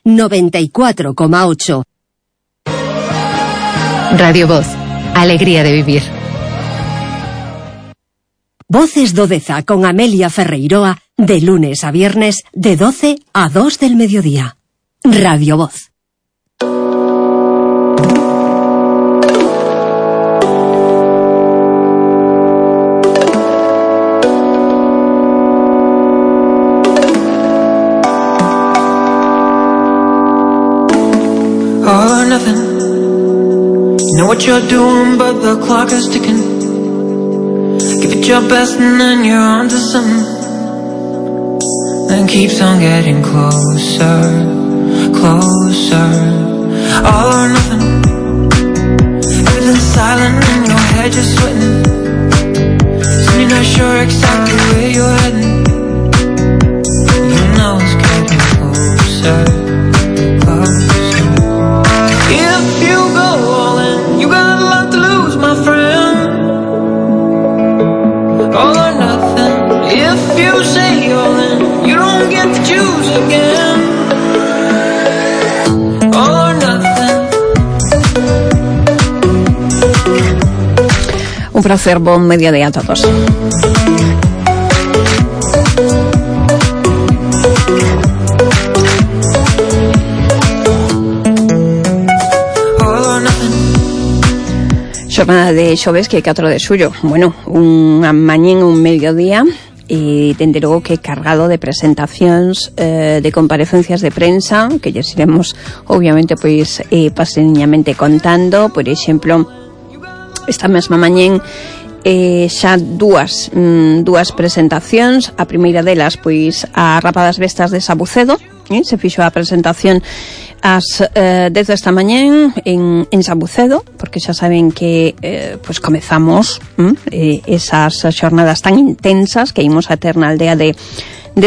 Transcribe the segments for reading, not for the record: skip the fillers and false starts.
94,8. Radio Voz, alegría de vivir. Voces do Deza con Amelia Ferreiroa, de lunes a viernes, de 12 a 2 del mediodía. Radio Voz. All or nothing. You know what you're doing, but the clock is ticking. Give it your best and then you're on to something. Then keeps on getting closer, closer. All or nothing. Everything's silent and your head just sweating. So you're not sure exactly where you're heading. You know it's getting closer, closer. If you go all in, you got a lot to lose, my friend. All or nothing. If you say all in, you don't get to choose again. All or nothing. Un placer, buen mediodía a todos. Xornada de xoves que é 4 de xullo. Bueno, unha mañén, un mediodía e dende logo que cargado de presentacións, de comparecencias de prensa que lles iremos obviamente pois paseñamente contando. Por exemplo, esta mesma mañén xa dúas presentacións. A primeira delas pois a Rapa das Vestas de Sabucedo, se fixo a presentación ás 10 desta mañén en Sabucedo, porque xa saben que pois comezamos esas xornadas tan intensas que imos a ter na aldea de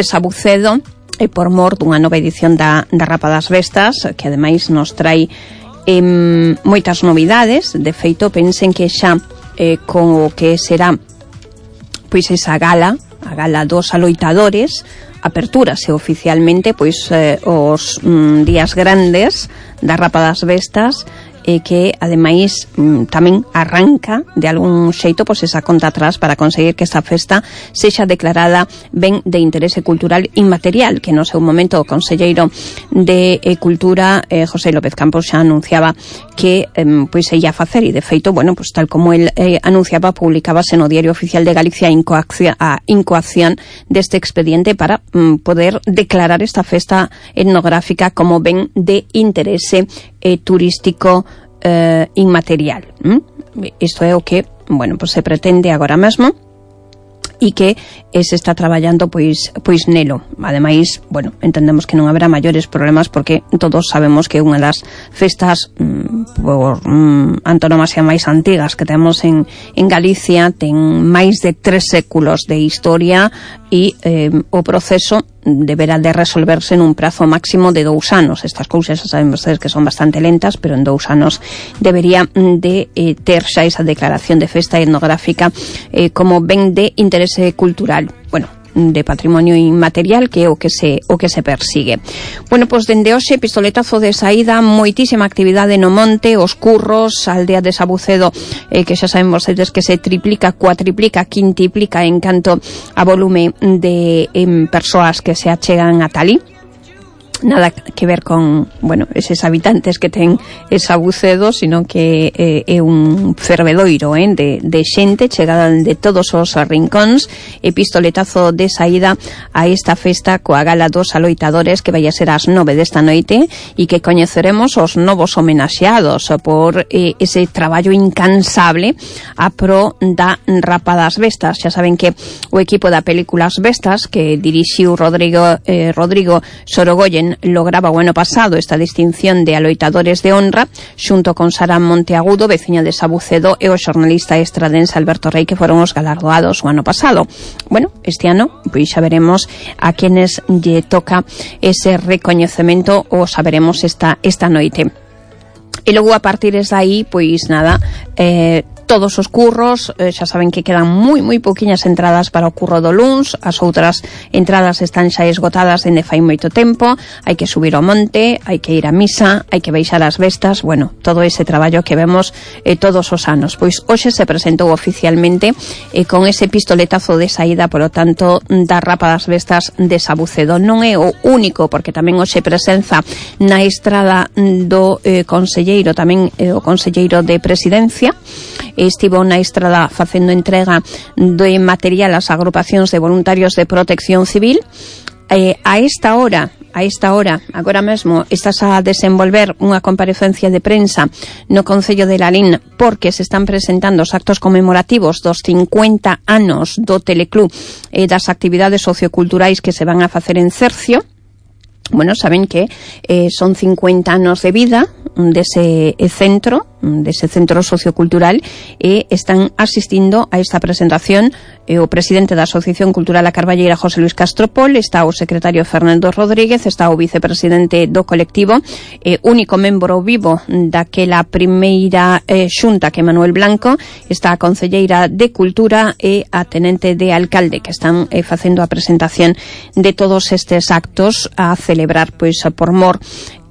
Sabucedo e por mor dunha nova edición da Rapa das Vestas, que ademais nos trai moitas novidades. De feito, pensen que xa con o que será pois esa gala, a gala dos aloitadores, apertúrase oficialmente pois os días grandes da Rapa das Vestas, que ademais tamén arranca de algún xeito pois esa conta atrás para conseguir que esta festa sexa declarada ben de interese cultural inmaterial, que no seu momento o conselleiro de Cultura, José López Campos, xa anunciaba que pois se ia facer, e de feito, bueno, pois tal como el anunciaba, publicábase no Diario Oficial de Galicia a incoación deste expediente para poder declarar esta festa etnográfica como ben de interese turístico inmaterial. Isto é o que, bueno, pues se pretende agora mesmo e que se está traballando pois nelo. Ademais, bueno, entendemos que non haberá maiores problemas porque todos sabemos que unha das festas por antonomasia máis antigas que temos en Galicia ten máis de 3 séculos de historia e o proceso deberá de resolverse nun prazo máximo de 2 anos. Estas cousas xa saben vostedes que son bastante lentas, pero en 2 anos debería de ter xa esa declaración de festa etnográfica como ben de interese cultural, bueno, de patrimonio inmaterial, que é o que se persigue. Bueno, pois dende hoxe pistoletazo de saída, moitísima actividade no monte, os curros, a aldea de Sabucedo, que xa saben vostedes que se triplica, cuatriplica, quintiplica en canto a volume de persoas que se achegan a talí. Nada que ver con, bueno, eses habitantes que ten Sabucedo, sino que é un fervedoiro de xente chegada de todos os rincóns, e pistoletazo de saída a esta festa coa gala dos aloitadores que vai a ser ás 9 desta noite, e que coñeceremos os novos homenaxeados por ese traballo incansable a pro da Rapa das Vestas. Xa saben que o equipo da película As Vestas, que dirixiu Rodrigo Sorogoyen, lograba o ano pasado esta distinción de aloitadores de honra xunto con Sara Monteagudo, veciña de Sabucedo, e o xornalista estradense Alberto Rey, que foron os galardoados o ano pasado. Bueno, este ano pois xa veremos a quenes lle toca ese recoñecemento, o saberemos esta noite. E logo a partir de aí, pois nada, todos os curros, xa saben que quedan moi pouquiñas entradas para o curro do luns, as outras entradas están xa esgotadas dende fai moito tempo, hai que subir ao monte, hai que ir a misa, hai que baixar as vestas, bueno, todo ese traballo que vemos todos os anos. Pois hoxe se presentou oficialmente con ese pistoletazo de saída, polo tanto, da Rapa das Vestas de Sabucedo. Non é o único, porque tamén hoxe presenza na estrada do conselleiro, tamén o conselleiro de Presidencia, estivo na estrada facendo entrega de material ás agrupacións de voluntarios de protección civil. A esta hora, agora mesmo, estás a desenvolver unha comparecencia de prensa no Concello de Lalín, porque se están presentando os actos conmemorativos dos 50 anos do Teleclub e das actividades socioculturais que se van a facer en Cercio. Bueno, saben que son 50 anos de vida dese centro sociocultural, e están asistindo a esta presentación o presidente da Asociación Cultural A Carballeira, José Luis Castropol, está o secretario Fernando Rodríguez, está o vicepresidente do colectivo, único membro vivo daquela primeira xunta, que Manuel Blanco, está a concelleira de Cultura e a tenente de alcalde, que están facendo a presentación de todos estes actos a celebrar, pois, por mor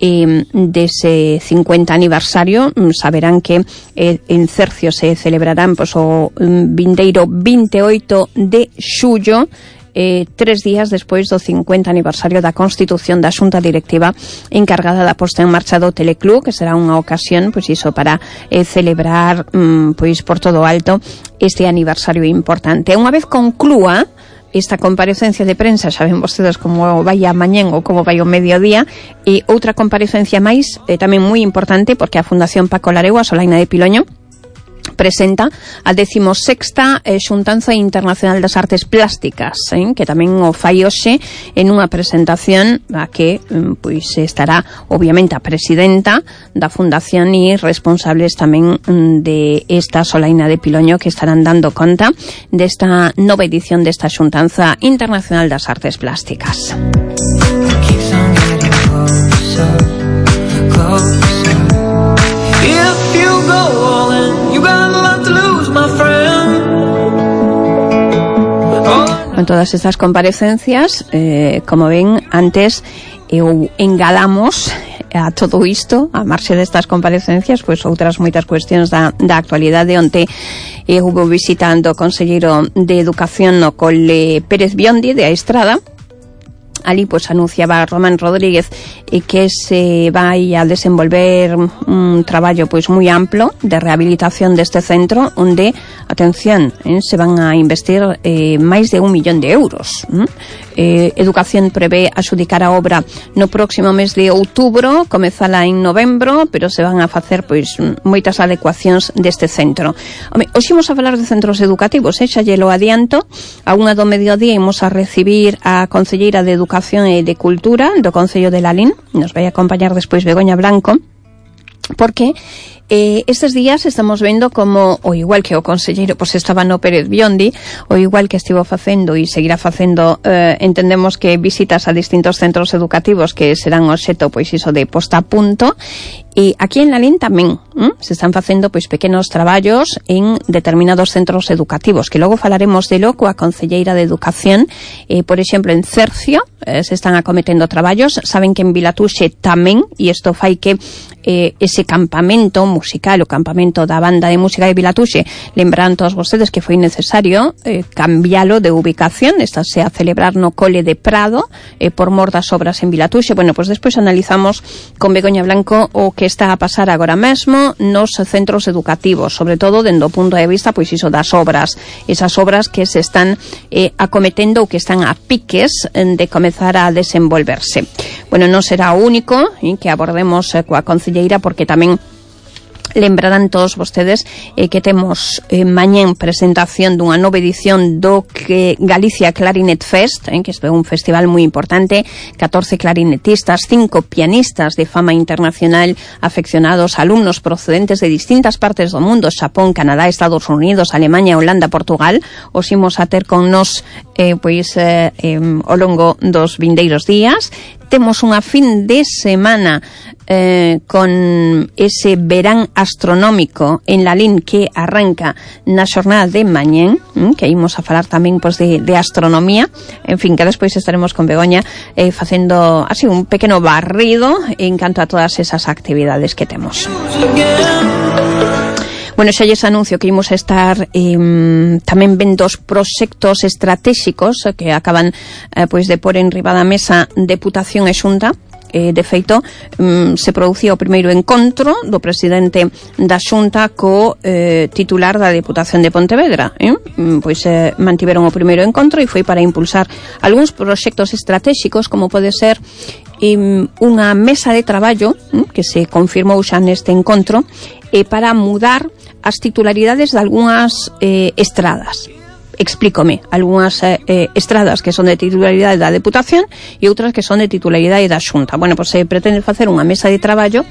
dese 50 aniversario. Saberán que en Cercio se celebrarán, pois, o vindeiro 28 de xullo, 3 días despois do 50 aniversario da constitución da xunta directiva encargada da posta en marcha do Teleclub, que será unha ocasión, pois iso, para celebrar pois por todo alto este aniversario importante. Unha vez conclúa esta comparecencia de prensa, saben vostedes como vai a mañén ou como vai o mediodía, e outra comparecencia máis, tamén moi importante, porque a Fundación Paco Lareu, a Solaina de Piloño, presenta a 16ª Xuntanza Internacional das Artes Plásticas, que tamén o fai hoxe en unha presentación a que pois estará obviamente a presidenta da Fundación e responsables tamén de esta Solaina de Piloño, que estarán dando conta desta nova edición desta Xuntanza Internacional das Artes Plásticas. Con todas estas comparecencias, como ven, antes engalamos a todo isto, a marxe destas comparecencias, pois outras moitas cuestións da actualidade. Onte hubo visitando o conselleiro de Educación no Cole Pérez Biondi de A Estrada. Ali pois anunciaba Román Rodríguez que se vai a desenvolver un traballo pois moi amplo de rehabilitación deste centro, onde, atención, se van a investir máis de 1 millón de euros. Educación prevé axudicar a obra no próximo mes de outubro, comezala en novembro, pero se van a facer pois moitas adecuacións deste centro. Hoxe imos a falar de centros educativos, xa lle lo adianto. A 1 do mediodía imos a recibir a concelleira de Educación e de Cultura do Concello de Lalín. Nos vai acompañar despois Begoña Blanco, porque estes días estamos vendo como, o igual que o conselleiro pois estaba no Pérez Biondi, o igual que estivo facendo e seguirá facendo, entendemos que visitas a distintos centros educativos que serán obxecto pois iso de posta a punto. E aquí en Lalín tamén se están facendo pois pequenos traballos en determinados centros educativos, que logo falaremos de lo coa concelleira de Educación. Por exemplo, en Cercio se están acometendo traballos. Saben que en Vilatuxe tamén, e isto fai que ese campamento musical, o campamento da banda de música de Vilatuxe, lembrarán todos vostedes que foi necesario cambialo de ubicación. Estase a celebrar no Cole de Prado por mor das obras en Vilatuxe. Bueno, pois despois analizamos con Begoña Blanco o que está a pasar agora mesmo nos centros educativos, sobre todo dende o punto de vista pois iso das obras, esas obras que se están acometendo ou que están a piques de comezar a desenvolverse. Bueno, non será o único que abordemos coa concelleira, porque tamén lembrarán todos vostedes que temos mañén presentación dunha nova edición do que Galicia Clarinet Fest, que é un festival moi importante, 14 clarinetistas, 5 pianistas de fama internacional, afeccionados, alumnos procedentes de distintas partes do mundo, Xapón, Canadá, Estados Unidos, Alemania, Holanda, Portugal. Os imos a ter con nos ao longo dos vindeiros días. temos unha fin de semana con ese verán astronómico en Lalín que arranca na xornada de mañén, que imos a falar tamén pois, de astronomía, en fin, que despois estaremos con Begoña facendo así un pequeno barrido en canto a todas esas actividades que temos. Bueno, xa lles anuncio que imos estar tamén vendo os proxectos estratégicos que acaban pois de pôr en riba da mesa Deputación e Xunta. De feito, se producía o primeiro encontro do presidente da Xunta co titular da Deputación de Pontevedra. Pois mantiveron o primeiro encontro e foi para impulsar algúns proxectos estratégicos, como pode ser unha mesa de traballo que se confirmou xa neste encontro para mudar as titularidades de algunhas estradas. Explícome, algunhas estradas que son de titularidade da Deputación e outras que son de titularidade da Xunta. Bueno, pois se pretende facer unha mesa de traballo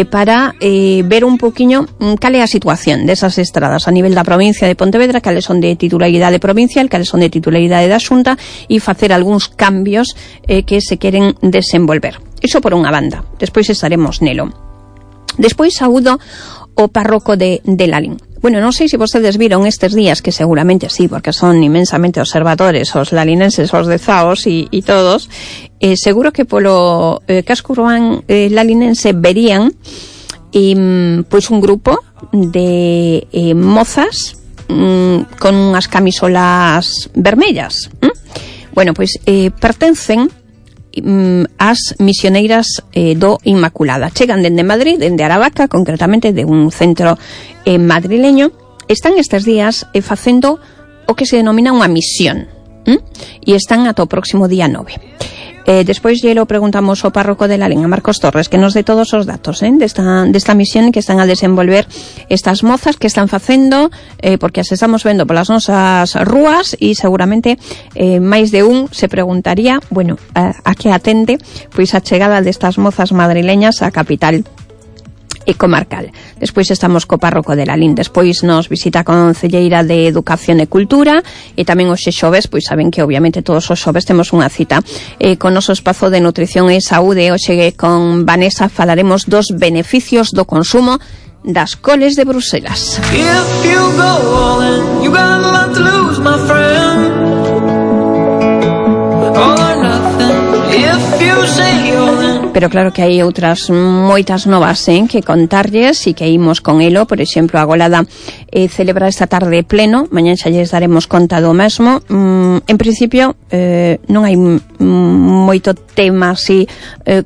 para ver un poquinho cal é a situación desas estradas a nivel da provincia de Pontevedra, cales son de titularidade provincial, cales son de titularidade da Xunta e facer algúns cambios que se queren desenvolver. Iso por unha banda, despois estaremos nelo. Despois saúdo o párroco de Lalín. Bueno, non sei se vostedes viron estes días, que seguramente sí, porque son inmensamente observadores os lalinenses, os dezaos e todos, seguro que polo casco urbán lalinense verían pois un grupo de mozas con unhas camisolas vermellas. Bueno, pois pertencen as misioneiras do Inmaculada. Chegan dende Madrid, dende Aravaca, concretamente de un centro madrileño. Están estes días facendo o que se denomina unha misión e están ata o próximo día 9. Despois lle lo preguntamos ao párroco de Lalín, a Marcos Torres, que nos dé todos os datos desta misión que están a desenvolver estas mozas que están facendo, porque as estamos vendo polas nosas rúas e seguramente máis de un se preguntaría, bueno, a que atende pois a chegada destas mozas madrileñas á capital e comarcal. Despois estamos co párroco de Lalín. Despois nos visita a concelleira de Educación e Cultura e tamén os xoves, pois saben que obviamente todos os xoves temos unha cita con noso espazo de nutrición e saúde. Hoxe con Vanessa falaremos dos beneficios do consumo das coles de Bruselas. If you go all in, you got a lot to lose, my friend. All or nothing. If you say all in. Pero claro que hai outras moitas novas que contarlles e que imos con elo. Por exemplo, a Golada celebra esta tarde pleno, mañan xa lles daremos conta do mesmo. En principio non hai moito tema así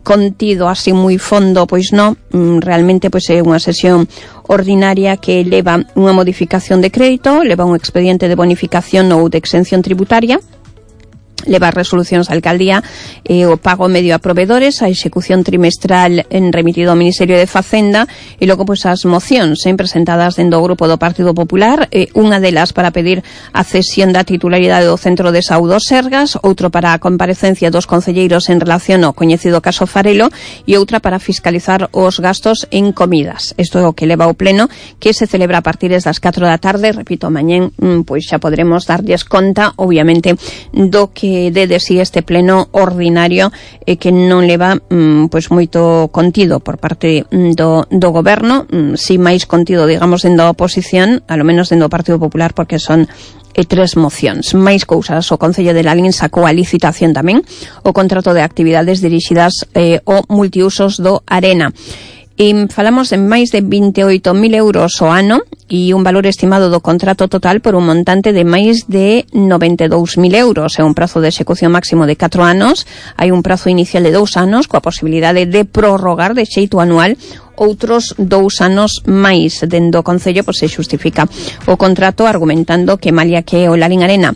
contido, así moi fondo, pois non, realmente pois é unha sesión ordinaria que leva unha modificación de crédito, leva un expediente de bonificación ou de exención tributaria, leva resolucións á alcaldía, o pago medio a provedores, a execución trimestral remitido ao Ministerio de Facenda e logo pois as mocións presentadas dentro do grupo do Partido Popular, unha delas para pedir a cesión da titularidade do Centro de Saúde Sergas, outro para a comparecencia dos concelleiros en relación ao coñecido caso Farelo e outra para fiscalizar os gastos en comidas. Isto é o que leva ao pleno, que se celebra a partir das 4 da tarde. Repito, mañén pois xa podremos darlles conta, obviamente, do que de si este pleno ordinario que non leva pois moito contido por parte do goberno, si máis contido, digamos, dentro da oposición, a lo menos dentro do Partido Popular, porque son 3 mocións. Máis cousas, o Concello de Lalín sacou a licitación tamén o contrato de actividades dirixidas ao multiusos do Arena. Falamos de máis de 28.000 euros ao ano e un valor estimado do contrato total por un montante de máis de 92.000 euros. É un prazo de execución máximo de 4 anos. Hai un prazo inicial de 2 anos coa posibilidade de prorrogar de xeito anual outros 2 anos máis. Dentro do Concello pois se xustifica o contrato argumentando que malia que o Lalín Arena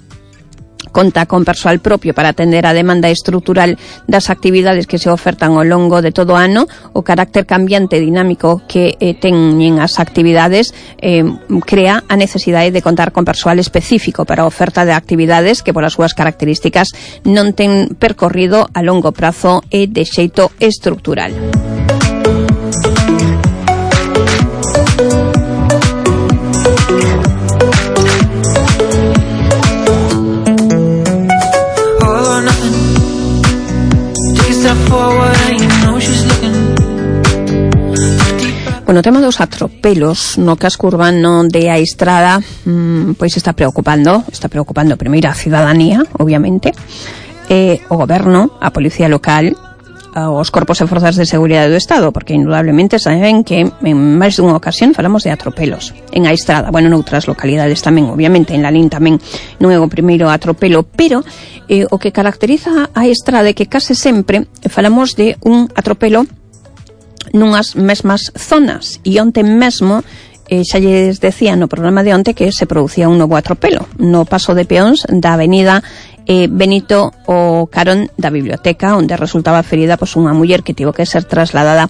conta con persoal propio para atender a demanda estrutural das actividades que se ofertan ao longo de todo o ano, o carácter cambiante e dinámico que teñen as actividades crea a necesidade de contar con persoal específico para a oferta de actividades que, polas súas características, non ten percorrido a longo prazo e de xeito estrutural. Step forward Bueno, o tema dos atropelos no casco urbano de A Estrada pois está preocupando primeiro a cidadanía, obviamente, o goberno, a policía local, os corpos e forzas de seguridade do Estado, porque indudablemente saben que en máis dunha ocasión falamos de atropelos en A Estrada, bueno, noutras localidades tamén, obviamente, en Lalín tamén non é o primeiro atropelo, pero o que caracteriza a Estrada é que case sempre falamos de un atropelo nunhas mesmas zonas, e onte mesmo xa lles decía no programa de onte que se producía un novo atropelo no paso de peóns da avenida Benito o carón da biblioteca, onde resultaba ferida unha muller que tivo que ser trasladada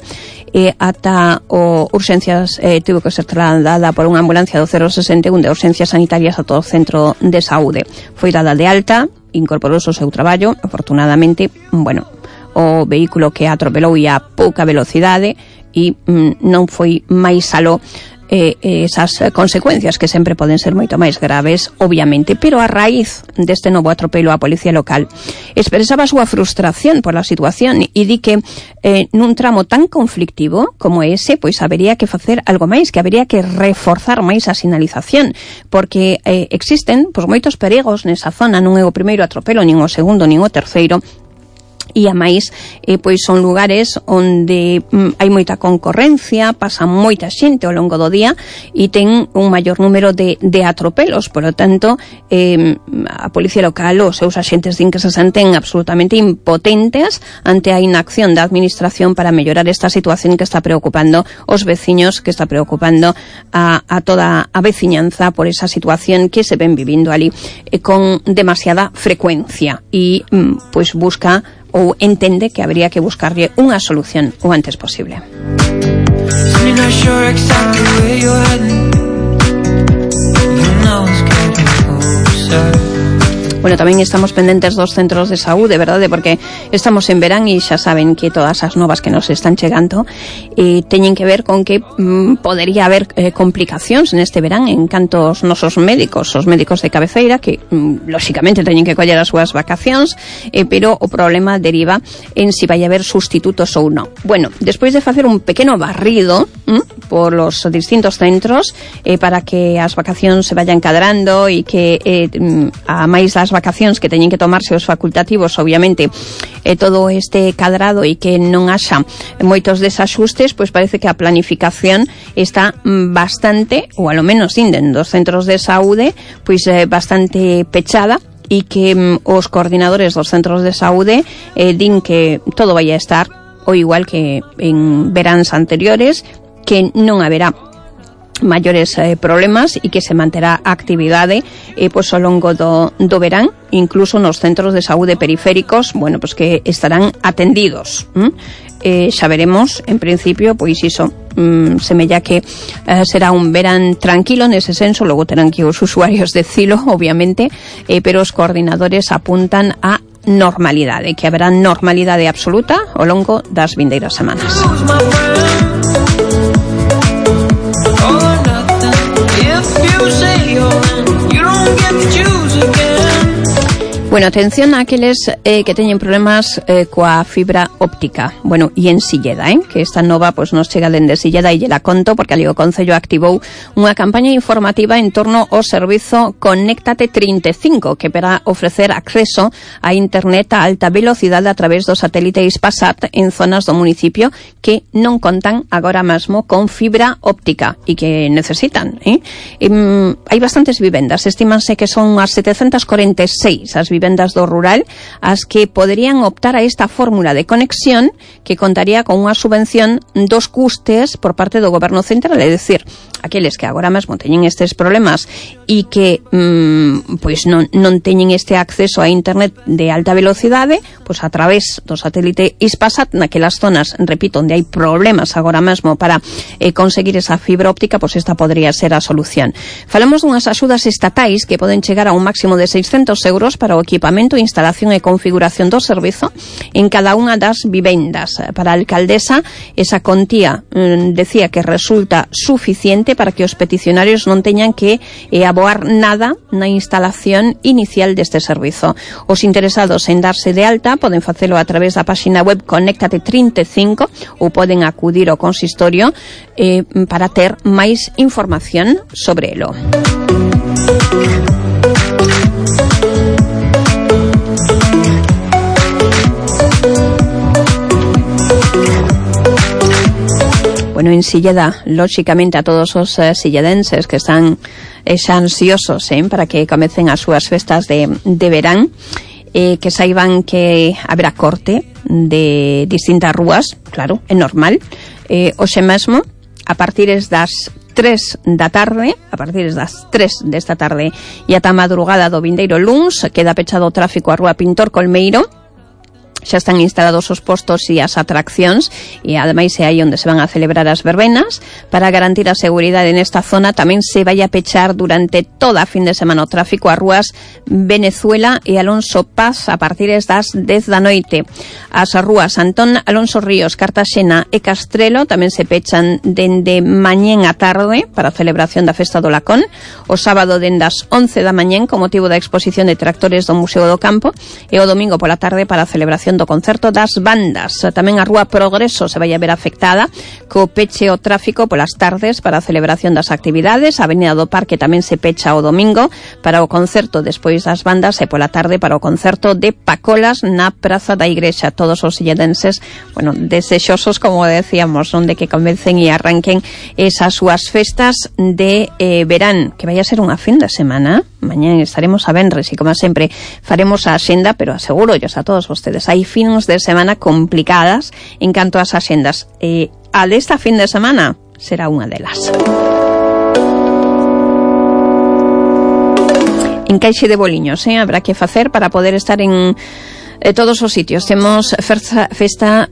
ata urxencias, tivo que ser trasladada por unha ambulancia do 061 de urxencias sanitarias a todo o centro de saúde. Foi dada de alta, incorporouse ao seu traballo, afortunadamente, bueno, o vehículo que atropelou ia a pouca velocidade e non foi máis aló esas consecuencias que sempre poden ser moito máis graves, obviamente, pero a raíz deste novo atropelo a policía local expresaba a súa frustración pola situación e di que nun tramo tan conflictivo como ese, pois habería que facer algo máis, que habería que reforzar máis a sinalización, porque existen pois moitos perigos nesa zona, non é o primeiro atropelo, nin o segundo, nin o terceiro, e a máis, pois son lugares onde hai moita concorrencia, pasa moita xente ao longo do día e ten un maior número de atropelos, por lo tanto a policía local, os seus axentes din que se senten absolutamente impotentes ante a inacción da administración para mellorar esta situación que está preocupando os veciños, que está preocupando a toda a veciñanza por esa situación que se ven vivindo ali con demasiada frecuencia e pois busca ou entende que habría que buscarlle unha solución o antes posible. Bueno, tamén estamos pendentes dos centros de saúde, verdade, porque estamos en verán e xa saben que todas as novas que nos están chegando teñen que ver con que podería haber complicacións neste verán en canto aos nosos médicos, os médicos de cabeceira, que lóxicamente teñen que coller as súas vacacións, pero o problema deriva en si vai haber sustitutos ou non. Bueno, despois de facer un pequeno barrido por los distintos centros para que as vacacións se vayan cadrando e que a máis das vacacións que teñen que tomarse os facultativos, obviamente, todo este cadrado e que non haxa moitos desaxustes, pois parece que a planificación está bastante, ou alo menos inden dos centros de saúde, pois bastante pechada, e que os coordinadores dos centros de saúde din que todo vai a estar o igual que en veráns anteriores, que non haberá maiores problemas e que se manterá a actividade pois ao longo do verán, incluso nos centros de saúde periféricos, bueno, pois que estarán atendidos. Xa veremos, en principio, pois iso, semella que será un verán tranquilo nese senso, logo terán que os usuarios decilo, obviamente, pero os coordinadores apuntan a normalidade, que haberá normalidade absoluta ao longo das vindeiras semanas. Bueno, atención a aqueles que teñen problemas coa fibra óptica. Bueno, e en Silleda, que esta nova pois nos chega dende Silleda e lle la conto porque ali o Concello activou unha campaña informativa en torno ao servizo Conéctate 35, que para ofrecer acceso a internet a alta velocidade a través do satélite Hispasat en zonas do municipio que non contan agora mesmo con fibra óptica e que necesitan. Hai bastantes vivendas, estimanse que son as 746 as vivendas do rural as que poderían optar a esta fórmula de conexión que contaría con unha subvención dos custes por parte do goberno central, é dicir, aqueles que agora mesmo teñen estes problemas e que pois non teñen este acceso a internet de alta velocidade, pois a través do satélite Hispasat naquelas zonas, repito, onde hai problemas agora mesmo para conseguir esa fibra óptica, pois esta podría ser a solución. Falamos dunhas axudas estatais que poden chegar a un máximo de 600 euros para o equipo equipamento, instalación e configuración do servizo en cada unha das vivendas. Para a alcaldesa, esa contía decía que resulta suficiente para que os peticionarios non teñan que aboar nada na instalación inicial deste servizo. Os interesados en darse de alta poden facelo a través da páxina web Conéctate 35 ou poden acudir ao consistorio para ter máis información sobre elo. Bueno, en Silleda, lóxicamente a todos os silledenses que están xa ansiosos para que comecen as súas festas de verán, que saiban que haberá corte de distintas rúas, claro, é normal. Hoxe mesmo, a partir das 3 da tarde, a partir das 3 desta tarde e ata a madrugada do vindeiro luns, queda pechado o tráfico a Rúa Pintor Colmeiro. Xa están instalados os postos e as atraccións e ademais é aí onde se van a celebrar as verbenas. Para garantir a seguridade nesta zona tamén se vai a pechar durante toda a fin de semana o tráfico a rúas Venezuela e Alonso Paz a partir das 10 da noite. As rúas Antón Alonso Ríos, Cartaxena e Castrelo tamén se pechan dende mañén a tarde para a celebración da Festa do Lacón. O sábado dende as 11 da mañén con motivo da exposición de tractores do Museo do Campo e o domingo pola tarde para a celebración do concerto das bandas. Tamén a Rúa Progreso se vai a ver afectada co peche o tráfico polas tardes para a celebración das actividades. A Avenida do Parque tamén se pecha o domingo para o concerto despois das bandas e pola tarde para o concerto de Pacolas na Praza da Igrexa. Todos os silledenses, bueno, desexosos, como decíamos, onde que comecen e arranquen esas súas festas de verán, que vai a ser unha fin de semana. Mañán estaremos a venres e, como sempre, faremos a axenda, pero aseguro a todos vostedes, hai fins de semana complicadas en canto ás axendas. A desta fin de semana será unha delas. Encaixe de boliños, habrá que facer para poder estar en todos os sitios. Temos festas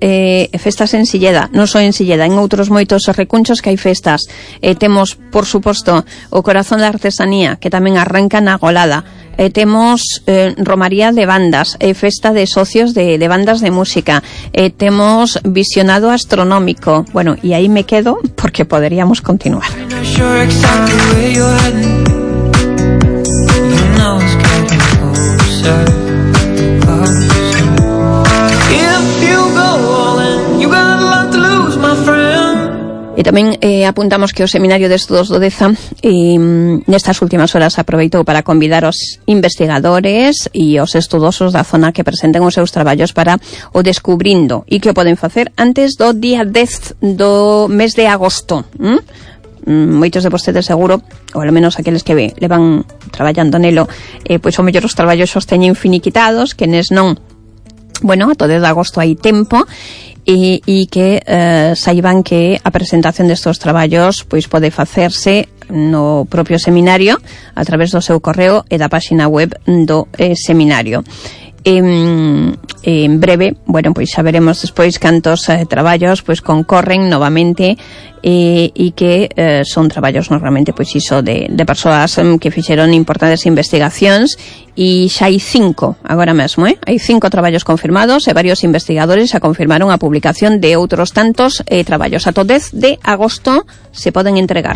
en Silleda, non só en Silleda, en outros moitos recunchos que hai festas. Temos, por suposto, o Corazón da Artesanía, que tamén arranca na Golada. Temos romaría de bandas, festa de socios de bandas de música, temos visionado astronómico. Bueno, y ahí me quedo porque podríamos continuar. E tamén apuntamos que o Seminario de Estudos do Deza nestas últimas horas aproveitou para convidar os investigadores e os estudosos da zona que presenten os seus traballos para o descubrindo e que o poden facer antes do día 10 do mes de agosto. Moitos de vostedes seguro, ou ao menos aqueles que levan traballando nelo, pois o mellor os traballos os teñen finiquitados, que nes non, bueno, a todo de agosto hai tempo. E que saiban que a presentación destos traballos pois pode facerse no propio seminario a través do seu correo e da páxina web do seminario. En breve, bueno, pois xa veremos despois cantos traballos pois concorren novamente e que son traballos normalmente pois iso de persoas que fixeron importantes investigacións e xa hai 5 agora mesmo, hai 5 traballos confirmados e varios investigadores xa confirmaron a publicación de outros tantos traballos. Ata o 10 de agosto se poden entregar.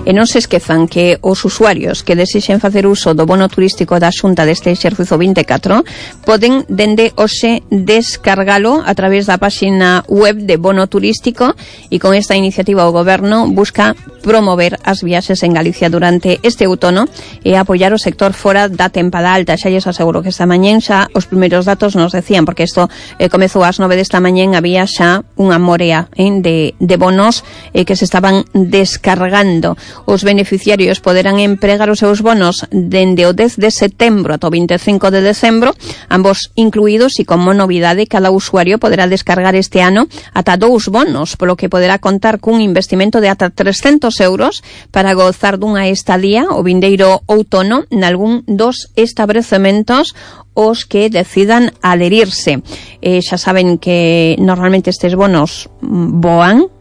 E non se esquezan que os usuarios que desexen facer uso do bono turístico da Xunta deste exercizo 24 poden dende hoxe descargalo a través da páxina web de Bono Turístico e con esta iniciativa o Goberno busca promover as viaxes en Galicia durante este outono e apoiar o sector fora da tempada alta. Xa lles aseguro que esta mañén xa os primeiros datos nos decían, porque isto comezou ás 9 desta mañén, había xa unha morea de bonos que se estaban descargando. Os beneficiarios poderán empregar os seus bonos dende o 10 de setembro ata o 25 de decembro, ambos incluídos, e como novidade, cada usuario poderá descargar este ano ata 2 bonos, polo que poderá contar cun investimento de ata 300 euros para gozar dunha estadía o vindeiro outono nalgún dos establecementos os que decidan adherirse. Xa saben que normalmente estes bonos voan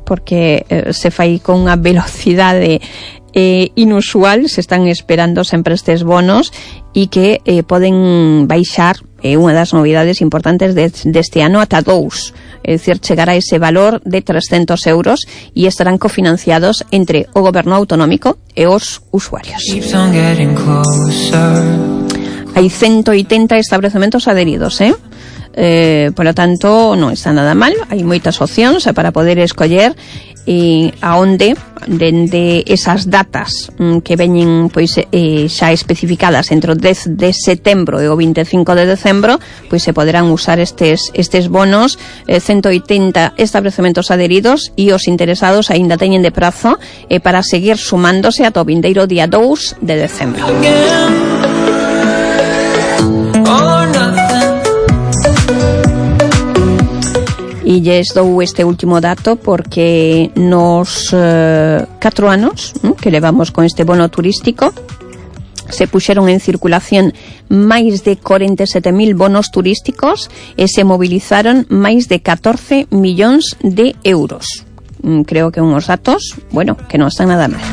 porque se fai con unha velocidade inusual, se están esperando sempre estes bonos e que poden baixar unha das novidades importantes deste ano ata 2, é dicir, chegará ese valor de 300 euros e estarán cofinanciados entre o goberno autonómico e os usuarios. Hai 180 establecementos adheridos, por lo tanto non está nada mal, hai moitas opcións para poder escoller aonde dende esas datas que veñen pois xa especificadas entre o 10 de setembro e o 25 de decembro, pois se poderán usar estes bonos. 180 establecementos adheridos e os interesados aínda teñen de prazo para seguir sumándose ata o vindeiro día 2 de decembro. E lles dou este último dato porque nos 4 anos que levamos con este bono turístico se puxeron en circulación máis de 47.000 bonos turísticos e se movilizaron máis de 14 millóns de euros. Creo que unhos datos, bueno, que non están nada mal.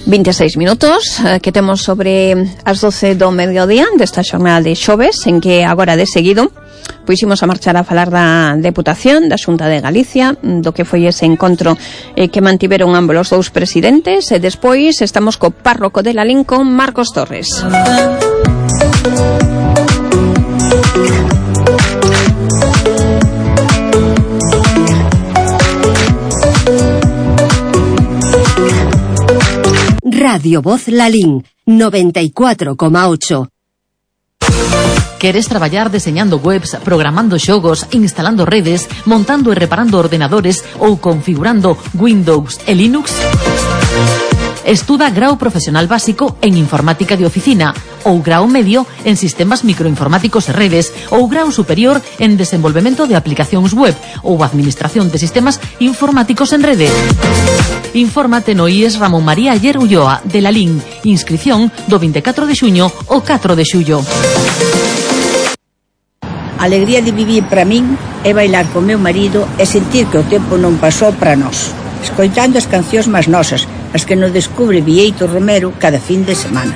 26 minutos que temos sobre as 12 do mediodía desta xornada de xoves, en que agora de seguido pois imos a marchar a falar da Deputación, da Xunta de Galicia, do que foi ese encontro que mantiveron ambos os dous presidentes, e despois estamos co párroco de Lalín, con Marcos Torres. Radio Voz Lalín, 94,8. Queres traballar deseñando webs, programando xogos, instalando redes, montando e reparando ordenadores ou configurando Windows e Linux? Estuda grao profesional básico en informática de oficina ou grao medio en sistemas microinformáticos e redes ou grao superior en desenvolvemento de aplicacións web ou administración de sistemas informáticos en rede. Infórmate no IES Ramón María Ayer Ulloa de Lalín. Inscripción do 24 de xuño ao 4 de xullo. A alegría de vivir para min é bailar con meu marido e sentir que o tempo non pasou para nós, escoitando as cancións máis nosas, as que nos descubre Bieito Romero cada fin de semana.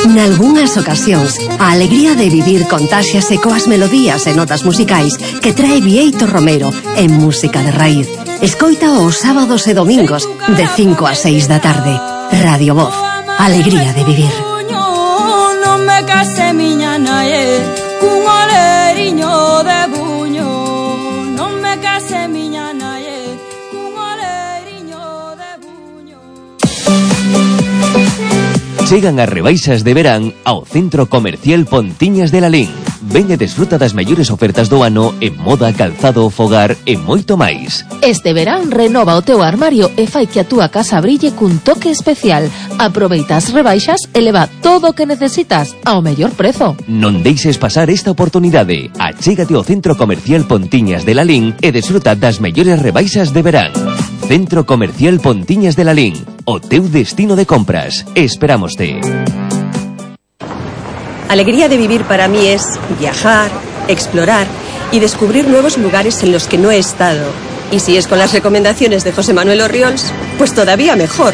Nalgúnas ocasións, a alegría de vivir contáxiase coas melodías e notas musicais que trae Bieito Romero en música de raíz. Escoita os sábados e domingos de 5 a 6 da tarde. Radio Voz, alegría de vivir. Non me case miña nae cun oleriño de buño. Non me case miña nae cun oleriño de buño. Chegan as rebaixas de verán ao Centro Comercial Pontiñas de Lalín. Ven e desfruta das mellores ofertas do ano en moda, calzado, fogar e moito máis. Este verán renova o teu armario e fai que a túa casa brille cun toque especial. Aproveita as rebaixas e leva todo o que necesitas ao mellor prezo. Non deixes pasar esta oportunidade. Achégate ao Centro Comercial Pontiñas de Lalín e desfruta das mellores rebaixas de verán. Centro Comercial Pontiñas de Lalín, o teu destino de compras. Esperámoste. Alegría de vivir para mí es viajar, explorar y descubrir nuevos lugares en los que no he estado. Y si es con las recomendaciones de José Manuel Orriols, pues todavía mejor.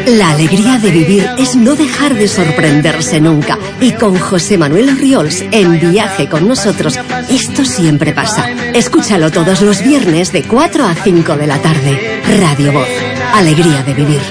La alegría de vivir es no dejar de sorprenderse nunca. Y con José Manuel Orriols en Viaje con nosotros, esto siempre pasa. Escúchalo todos los viernes de 4 a 5 de la tarde. Radio Voz, alegría de vivir.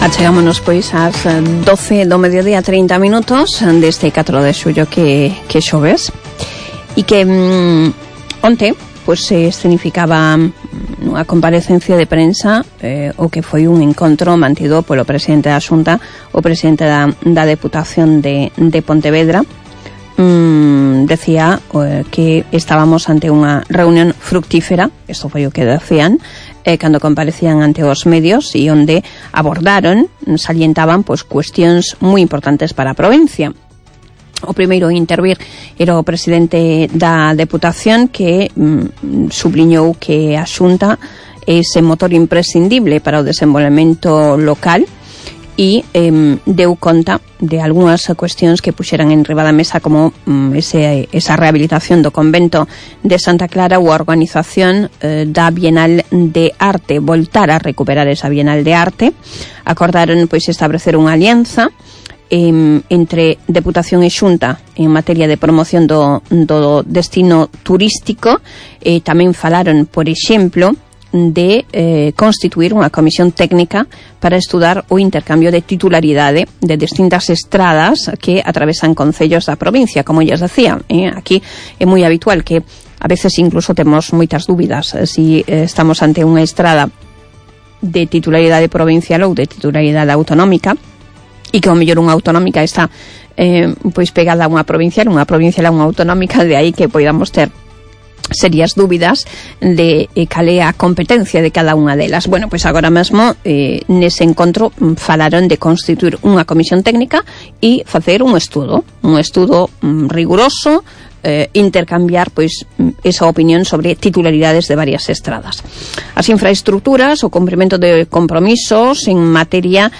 Achegámonos pois ás 12 do mediodía 30 minutos deste 4 de xullo que xoves e que onte pois se escenificaba nunha comparecencia de prensa o que foi un encontro mantido polo presidente da Xunta, o presidente da Deputación de Pontevedra. Decía que estábamos ante unha reunión fructífera, isto foi o que decían cando comparecían ante os medios, e onde abordaron, salientaban pois cuestións moi importantes para a provincia. O primeiro a intervir era o presidente da Deputación, que subliñou que a Xunta é ese motor imprescindible para o desenvolvemento local, e deu conta de algunhas cuestións que puxeran en riba da mesa, como esa rehabilitación do convento de Santa Clara ou a organización da Bienal de Arte, voltar a recuperar esa Bienal de Arte. Acordaron pois establecer unha alianza entre Deputación e Xunta en materia de promoción do destino turístico. Tamén falaron, por exemplo, de constituir unha comisión técnica para estudar o intercambio de titularidade de distintas estradas que atravesan concellos da provincia, como lles decía. Aquí é moi habitual que a veces incluso temos moitas dúbidas si estamos ante unha estrada de titularidade provincial ou de titularidade autonómica, e que ao mellor unha autonómica está pois pegada a unha provincial a unha autonómica, de aí que podamos ter serias dúbidas de cal é a competencia de cada unha delas. Bueno, pois agora mesmo nese encontro falaron de constituir unha comisión técnica e facer un estudo riguroso, intercambiar pois esa opinión sobre titularidades de varias estradas. As infraestructuras, o cumprimento de compromisos en materia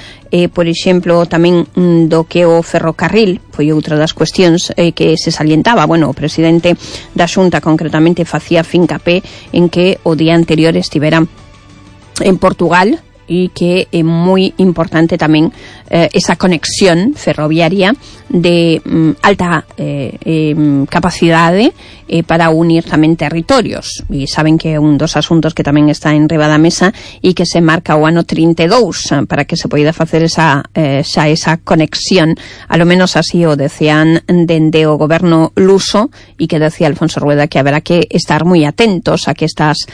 por exemplo, tamén do que o ferrocarril foi outra das cuestións que se salientaba. Bueno, o presidente da Xunta concretamente facía fincapé en que o día anterior estivera en Portugal e que é moi importante tamén esa conexión ferroviaria de alta capacidade para unir tamén territorios. E saben que é un dos asuntos que tamén está en riba da mesa e que se marca o ano 32 para que se poida facer esa conexión. A lo menos así o decían dende o goberno luso, e que decía Alfonso Rueda que haberá que estar moi atentos a que estas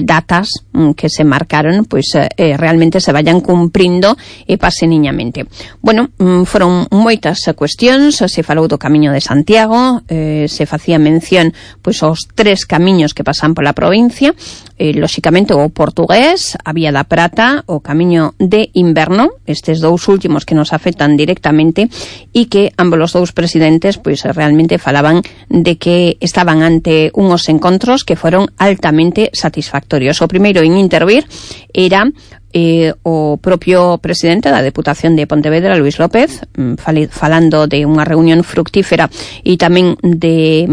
datas que se marcaron pois realmente se vayan cumprindo e pasen niñamente. Bueno, foron moitas cuestións, se falou do Camiño de Santiago, se facía mención pois aos 3 camiños que pasan pola provincia, lóxicamente o portugués, a Vía da Prata, o Camiño de Inverno, estes dous últimos que nos afectan directamente, e que ambos os dous presidentes pois realmente falaban de que estaban ante unhos encontros que foron altamente satisfactorios. O primeiro en intervir era o propio presidente da Deputación de Pontevedra, Luis López, falando de unha reunión fructífera e tamén de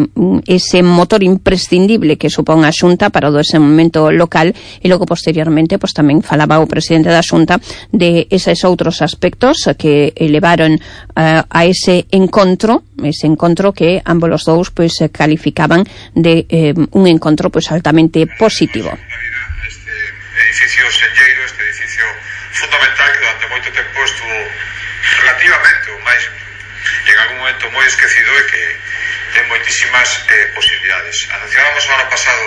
ese motor imprescindible que supón a Xunta para o desenvolvemento local, e logo posteriormente pois tamén falaba o presidente da Xunta de eses outros aspectos que levaron a ese encontro que ambos os dous pois calificaban de un encontro pois altamente positivo. Edificio senlleiro, este edificio fundamental que durante moito tempo estuvo relativamente ou máis en algún momento moi esquecido e que ten moitísimas posibilidades. Anunciábamos o ano pasado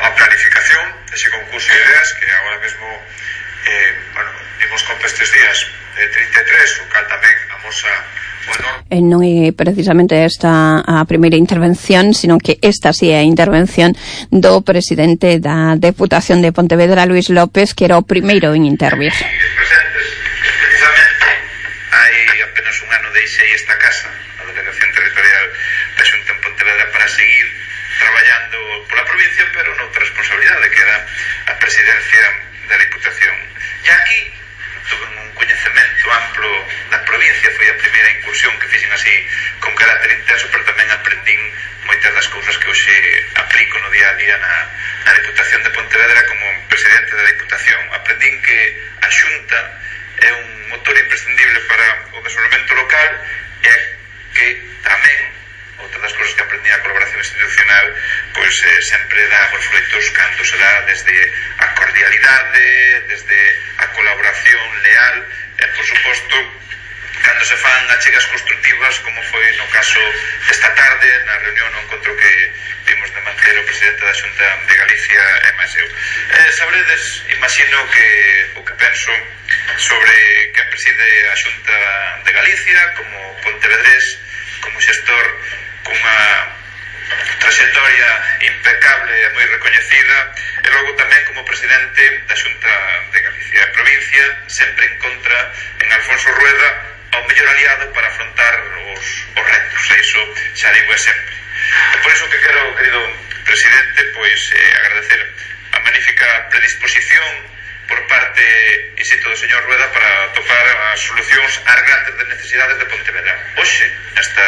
a planificación dese concurso de ideas que agora mesmo dimos conta estes días 33, o cal tamén amosa non é precisamente esta a primeira intervención, sino que esta sí é a intervención do presidente da Deputación de Pontevedra, Luis López, que era o primeiro en intervir. Precisamente hai apenas un ano deixei esta casa, a Delegación Territorial da Xunta en Pontevedra, para seguir traballando pola provincia, pero noutra responsabilidade, que era a presidencia da Diputación. E aquí tuve un coñecemento amplo da provincia, foi a primeira incursión que fixen así con carácter intenso, pero tamén aprendín moitas das cousas que hoxe aplico no día a día na Diputación de Pontevedra como presidente da Diputación. Aprendín que a Xunta é un motor imprescindible para o desenvolvemento local e que tamén outra das cousas que aprendí a colaboración institucional pois pois sempre dá os froitos cando se dá desde a cordialidade, desde a colaboración leal e, por suposto, cando se fan achegas constructivas, como foi no caso esta tarde na reunión, no encontro que vimos de manter o presidente da Xunta de Galicia e máis eu. Sabredes, imagino, que o que penso sobre quen preside a Xunta de Galicia como pontevedrés, como xestor cunha trayectoria impecable e moi recoñecida, e logo tamén como presidente da Xunta de Galicia. A provincia sempre encontra en Alfonso Rueda o mellor aliado para afrontar os retos, e iso xa digo sempre. E por iso que quero, querido presidente, pois agradecer a magnífica predisposición por parte, insisto, do señor Rueda para topar as solucións ás grandes necesidades de Pontevedra. Hoxe, nesta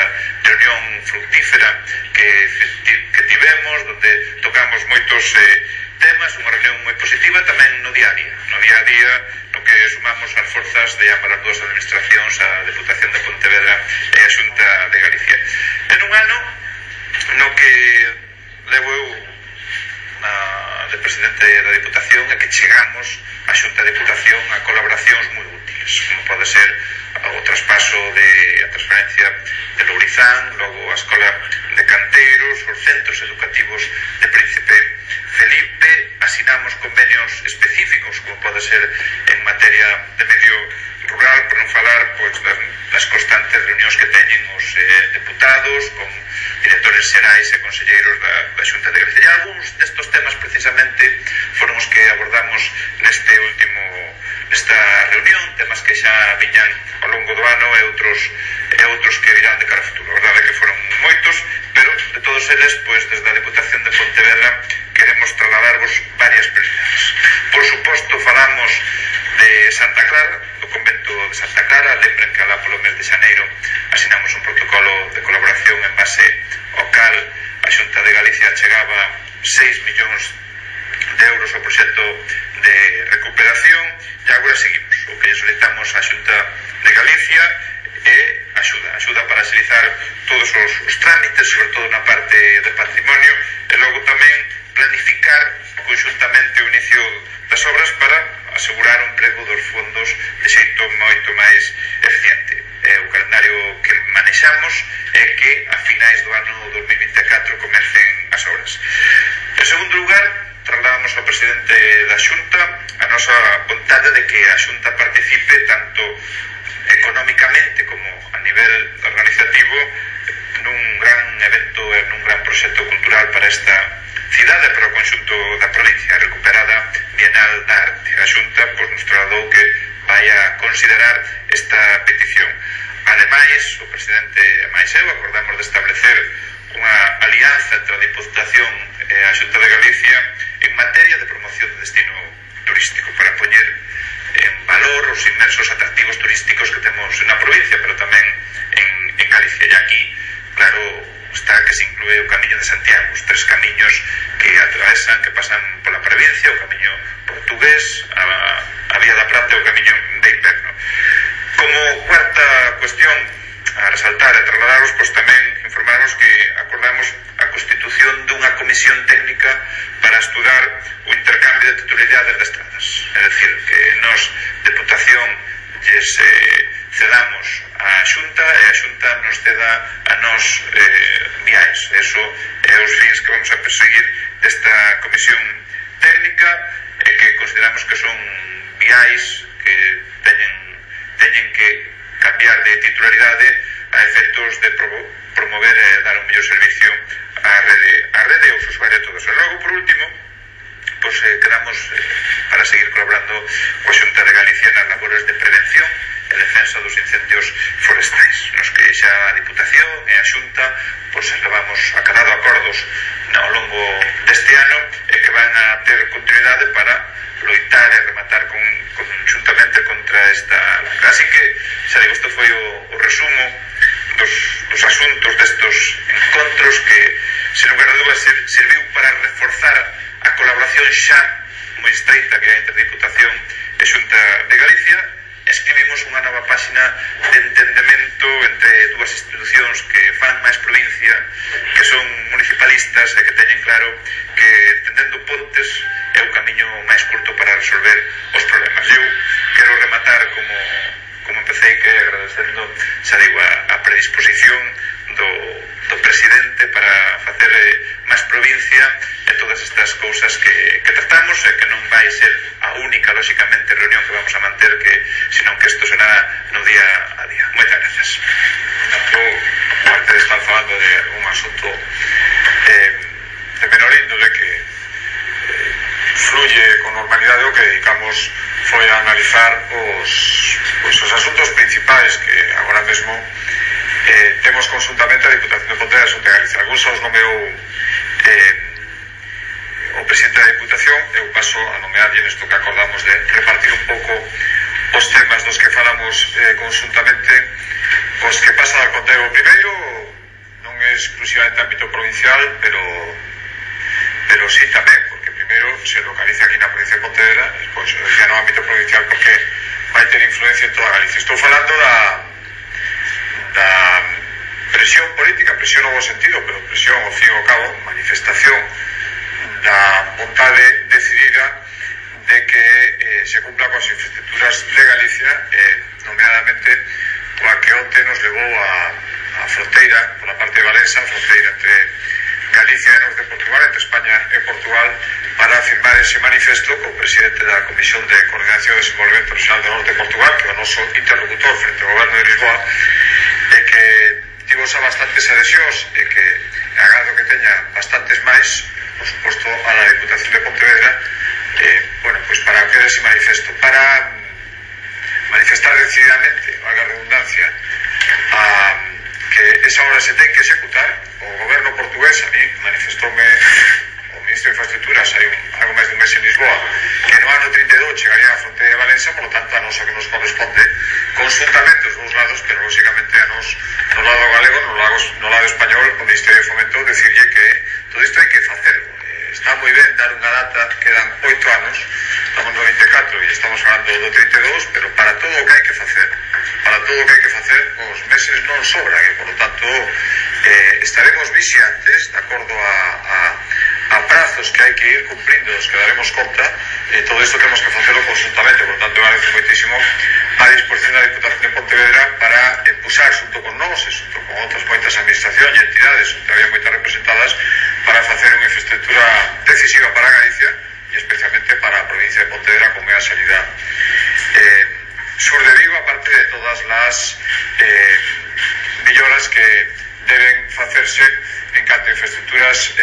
reunión fructífera que tivemos, donde tocamos moitos temas, unha reunión moi positiva tamén no día a día. No día a día, no que sumamos as forzas de ambas as dúas administracións, a Deputación de Pontevedra e a Xunta de Galicia. En un ano no que levo eu de presidente da Diputación e que chegamos a Xunta de Diputación a colaboracións moi útiles, como pode ser o traspaso a transferencia de Lourizán, logo a Escola de Canteiros, os centros educativos de Príncipe Felipe, asinamos convenios específicos, como pode ser en materia de medio rural, por non falar pois das constantes reunións que teñen os deputados con directores xerais e conselleiros da Xunta de Galicia. E algúns destos temas precisamente foron os que abordamos nesta reunión, temas que xa viñan ao longo do ano e outros que virán de cara a futuro. A verdade é que foron moitos, pero de todos eles, pois desde a Deputación de Pontevedra queremos trasladarvos varias prioridades. Por suposto, falamos de Santa Clara, do convento de Santa Clara. Lembren que alá polo mes de xaneiro asinamos un protocolo de colaboración en base ao cal a Xunta de Galicia chegaba 6 millóns de euros ao proxecto de recuperación, e agora seguimos. O que solicitamos á Xunta de Galicia é axuda para agilizar todos os trámites, sobre todo na parte de patrimonio, e logo tamén planificar conxuntamente o inicio das obras para asegurar o emprego dos fondos de xeito moito máis eficiente. O calendario que manexamos é que a finais do ano 2024 comecen as obras. En segundo lugar, trasladamos ao presidente da Xunta a nosa vontade de que a Xunta participe tanto económicamente como a nivel organizativo nun gran evento e nun gran proxecto cultural para esta cidade, para o conxunto da provincia, recuperada Bienal da Arte. A Xunta pois, nos trasladou que vai a considerar esta petición. Ademais, o presidente e máis eu acordamos de establecer unha alianza entre a Diputación e a Xunta de Galicia en materia de promoción de destino turístico, para poñer en valor os inmensos atractivos turísticos que temos na provincia, pero tamén en Galicia. E aquí, claro, está que se inclúe o Camiño de Santiago, os 3 camiños que atravesan, que pasan pola provincia, o Camiño portugués, a Vía da Prata e o Camiño de Inverno. Como cuarta cuestión a resaltar e trasladaros, pois tamén informaros que acordamos a constitución dunha comisión técnica para estudar o intercambio de titularidades de estradas. É dicir, que nos, Deputación, lles cedamos a Xunta e a Xunta nos ceda a nos viais. Eso é os fins que vamos a perseguir desta comisión técnica e que consideramos que son viais que teñen que cambiar de titularidade a efectos de promover e dar un mellor servicio á rede e aos usuarios todos. E logo, por último, pois quedamos para seguir colaborando coa Xunta de Galicia nas labores de prevención e defensa dos incendios forestais, nos que xa a Diputación e a Xunta pois levamos acadado acordos ao longo deste ano e que van a ter continuidade para loitar e rematar conjuntamente contra esta lacra. Así que, xa digo, isto foi o resumo dos asuntos destos encontros que, sen lugar a dúdas, serviu para reforzar a colaboración xa moi estreita que hai entre Diputación e Xunta de Galicia. Escribimos unha nova páxina de entendemento entre dúas institucións que fan máis provincia, que son municipalistas e que teñen claro cousas que tratamos e que non vai ser a única, lóxicamente, reunión que vamos a manter, senón que isto será no día a día. Moitas grazas. Tanto, aparte de estar falando de un asunto de menor índole que fluye con normalidade, o que dedicamos foi a analizar os asuntos principais que agora mesmo temos consultamente a Diputación de Pontevedra e a Xunta de Galicia. Algúns os nomeou o presidente da Diputación. Eu paso a nomearlle nesto que acordamos de repartir un pouco os temas dos que falamos consultamente, os que pasan a contar. O primeiro non é exclusivamente ámbito provincial, pero sí tamén, porque primeiro se localiza aquí na provincia de Pontevedra, despois decía no ámbito provincial porque vai ter influencia en toda Galicia. Estou falando da presión política, presión no bo sentido, pero presión ao fin e ao cabo, manifestación da vontade decidida de que se cumpla coas infraestructuras de Galicia, nomeadamente coa que onte nos levou a fronteira, pola parte de Valença, a fronteira entre Galicia e Norte de Portugal, entre España e Portugal, para firmar ese manifesto co presidente da Comisión de Coordinación e Desenvolvemento Regional do Norte de Portugal, que é o noso interlocutor frente ao Goberno de Lisboa, e que tivo xa bastantes adhesións e que agado que teña bastantes máis, por suposto, a la Diputación de Pontevedra, pues para que ese manifesto, para manifestar decididamente, valga a redundancia, que esa obra se ten que executar. O goberno portugués, a mí, manifestoume o ministro de Infraestructuras hai algo máis de un mes en Lisboa, que no ano 32 chegaría a fronteira de Valença, por lo tanto a nos o que nos corresponde consultamente os dous lados, pero lógicamente a nos no lado galego, no lado español, o Ministerio de Fomento decirlle que todo isto hai que facerlo. Está moi ben dar unha data, quedan 8 anos, estamos no 24 e estamos falando do 32, pero para todo o que hai que facer, os meses non sobran, e por lo tanto estaremos vixiantes, de acordo a prazos que hai que ir cumprindo, os que daremos conta, todo isto temos que facerlo conjuntamente, por lo tanto agradece moitísimo a disposición da Diputación de Pontevedra para impulsar xunto con nós e xunto con outras moitas administracións e entidades, que había moitas representadas, para facer unha infraestructura decisiva para Galicia e especialmente para a provincia de Pontevedra, como é a salida sur de Vigo, aparte de todas as melloras que deben facerse en canto a infraestructuras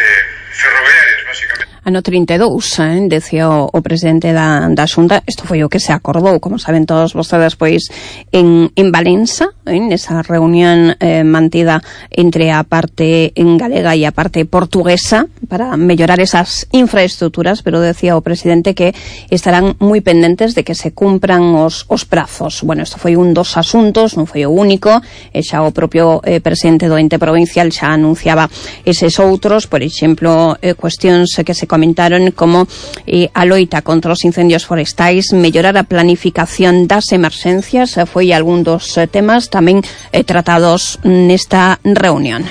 ferroviarias, básicamente. Ano 32, decía o presidente da Xunta, isto foi o que se acordou, como saben todos vostedes, pois en Valença, nesa reunión mantida entre a parte en galega e a parte portuguesa para mellorar esas infraestructuras, pero decía o presidente que estarán moi pendentes de que se cumpran os prazos. Bueno, isto foi un dos asuntos, non foi o único, e xa o propio presidente do ente provincial xa anunciaba eses outros, por exemplo, cuestións que se comentaron como a loita contra os incendios forestais, mellorar a planificación das emerxencias, foi algún dos temas tamén tratados nesta reunión.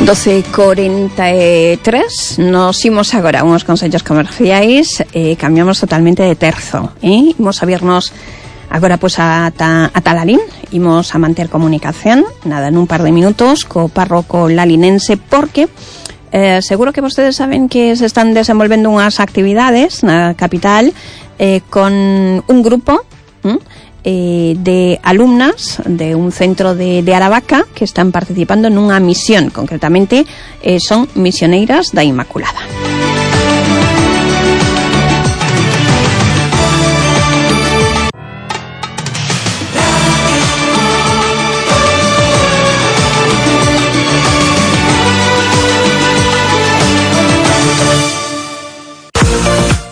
...12:43, nos imos agora a uns consellos comerciais e cambiamos totalmente de terzo, imos a vernos agora pois ata Lalín, imos a manter comunicación, nada, nun par de minutos co párroco lalinense, porque seguro que vostedes saben que se están desenvolvendo unhas actividades na capital con un grupo de alumnas de un centro de Aravaca que están participando nunha misión, concretamente son misioneiras da Inmaculada.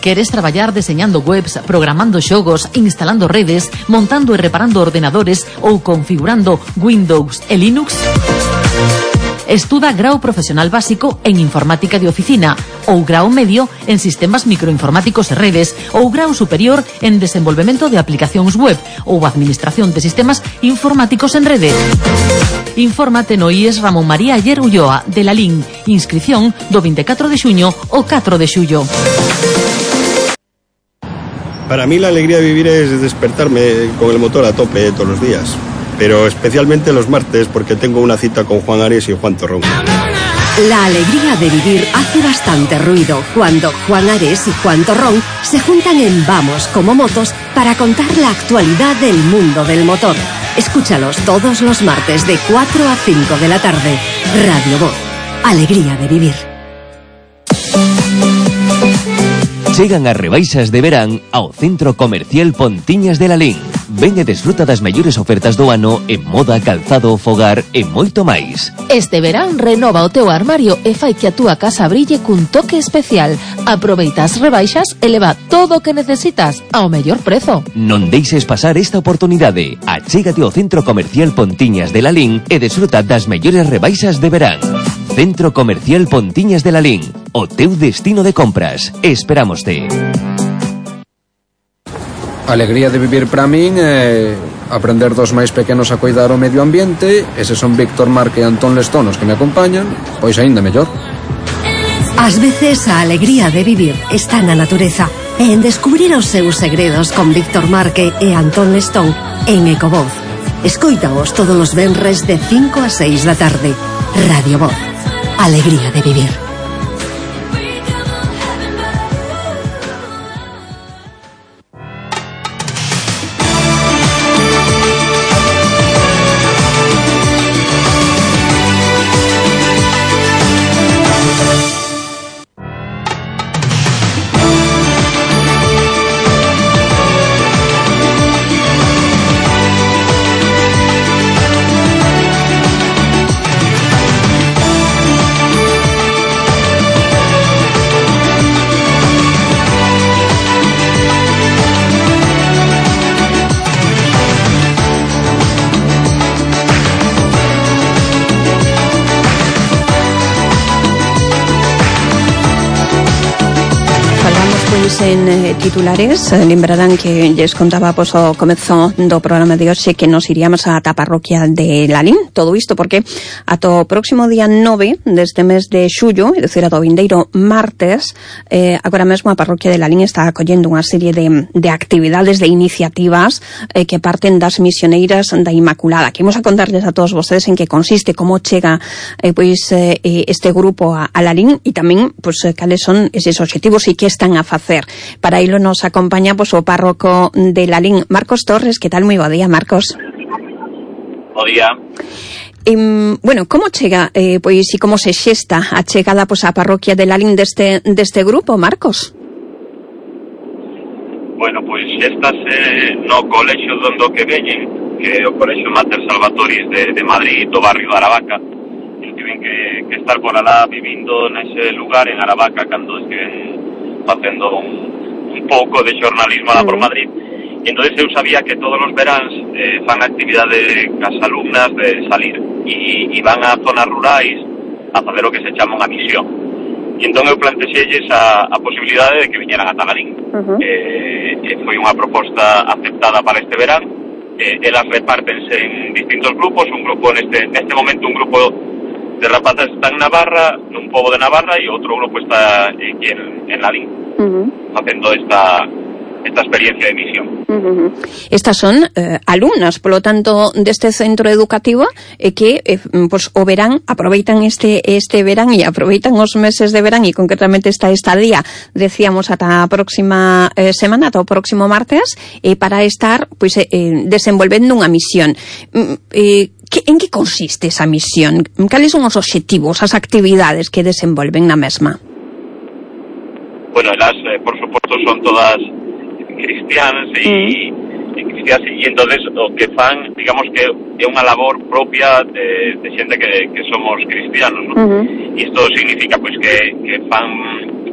Queres traballar deseñando webs, programando xogos, instalando redes, montando e reparando ordenadores ou configurando Windows e Linux? Estuda grao profesional básico en informática de oficina ou grao medio en sistemas microinformáticos e redes ou grao superior en desenvolvemento de aplicacións web ou administración de sistemas informáticos en rede. Infórmate no IES Ramón María Ayer Ulloa de la LIN. Inscripción do 24 de xuño ao 4 de xullo. Para mí la alegría de vivir es despertarme con el motor a tope todos los días. Pero especialmente los martes porque tengo una cita con Juan Ares y Juan Torrón. La alegría de vivir hace bastante ruido cuando Juan Ares y Juan Torrón se juntan en Vamos como Motos para contar la actualidad del mundo del motor. Escúchalos todos los martes de 4 a 5 de la tarde. Radio Voz. Alegría de vivir. Chegan as rebaixas de verán ao Centro Comercial Pontiñas de Lalín. Ven e desfruta das mellores ofertas do ano en moda, calzado, fogar e moito máis. Este verán renova o teu armario e fai que a túa casa brille cun toque especial. Aproveita as rebaixas e leva todo o que necesitas ao mellor prezo. Non deixes pasar esta oportunidade. Achégate ao Centro Comercial Pontiñas de Lalín e desfruta das mellores rebaixas de verán. Centro Comercial Pontiñas de Lalín, o teu destino de compras. Esperámoste. A alegría de vivir para min é aprender dos máis pequenos a cuidar o medio ambiente. Eses son Víctor Marque e Antón Lestonos que me acompañan, pois aínda mellor. Ás veces a alegría de vivir está na natureza e en descubrir os seus segredos con Víctor Marque e Antón Lestón en Ecovoz. Escóitaos todos os venres de 5 a 6 da tarde. Radio Voz. Alegría de vivir. En titulares, lembrarán que lles contaba pois o comezo do programa de hoxe que nos iríamos a parroquia de Lalín. Todo isto porque ata o próximo día 9 deste mes de xullo, é dicir, ata o vindeiro martes, agora mesmo a parroquia de Lalín está acollendo unha serie de actividades, de iniciativas que parten das misioneiras da Inmaculada. Que imos a contarles a todos vostedes en que consiste, como chega este grupo a Lalín e tamén cales son eses obxectivos e que están a facer. Para ello nos acompaña o párroco de Lalín, Marcos Torres. ¿Qué tal? Muy bo día, Marcos. Bo día. Bueno, como chega, e como se xesta a chegada á parroquia de Lalín deste grupo, Marcos? Bueno, xéstase no colexio donde que veñen, que é o colexio Mater Salvatoris de Madrid, do barrio de Aravaca, e tiven que estar por alá vivindo nese lugar en Aravaca cando estiven facendo un pouco de xornalismo lá por Madrid. E entón eu sabía que todos os veráns fan actividade cas alumnas de salir e van a zonas rurais a facer o que se chama unha misión. E entón eu plantexelles a posibilidade de que viñeran a Lalín. Foi unha proposta aceptada para este verán. Elas repártense en distintos grupos. Un grupo neste momento, un grupo de rapazas está en Navarra, nun pobo de Navarra, e outro grupo está aquí en Lalín, facendo esta experiencia de misión. Estas son alumnas, polo tanto, deste centro educativo que o verán, aproveitan este verán e aproveitan os meses de verán e concretamente esta estadía, decíamos, ata a próxima semana, ata o próximo martes, para estar desenvolvendo unha misión. En que consiste esa misión? Cales son os obxectivos, as actividades que desenvolven na mesma? Bueno, elas, por suposto, son todas cristianas e entonces o que fan, digamos que é unha labor propia de xente que somos cristianos, ¿no? E isto significa que fan